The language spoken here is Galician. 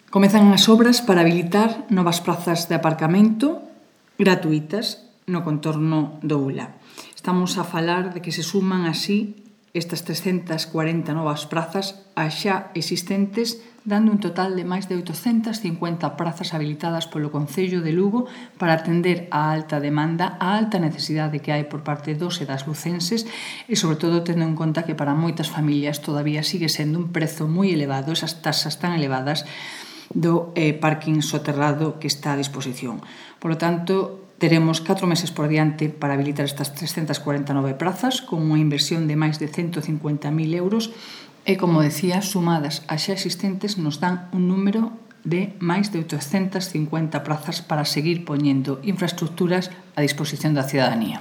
Comezan as obras para habilitar novas prazas de aparcamento gratuítas no contorno do ULA. Estamos a falar de que se suman así estas 340 novas prazas ás xa existentes, dando un total de máis de 850 prazas habilitadas polo Concello de Lugo para atender a alta demanda, a alta necesidade que hai por parte dos e das lucenses e, sobre todo, tendo en conta que para moitas familias todavía sigue sendo un prezo moi elevado, esas tasas tan elevadas do parking soterrado que está a disposición. Por lo tanto, teremos 4 meses por diante para habilitar estas 349 prazas con unha inversión de máis de 150.000 euros e, como decía, sumadas ás xa existentes nos dan un número de máis de 850 prazas para seguir poñendo infraestructuras a disposición da cidadanía.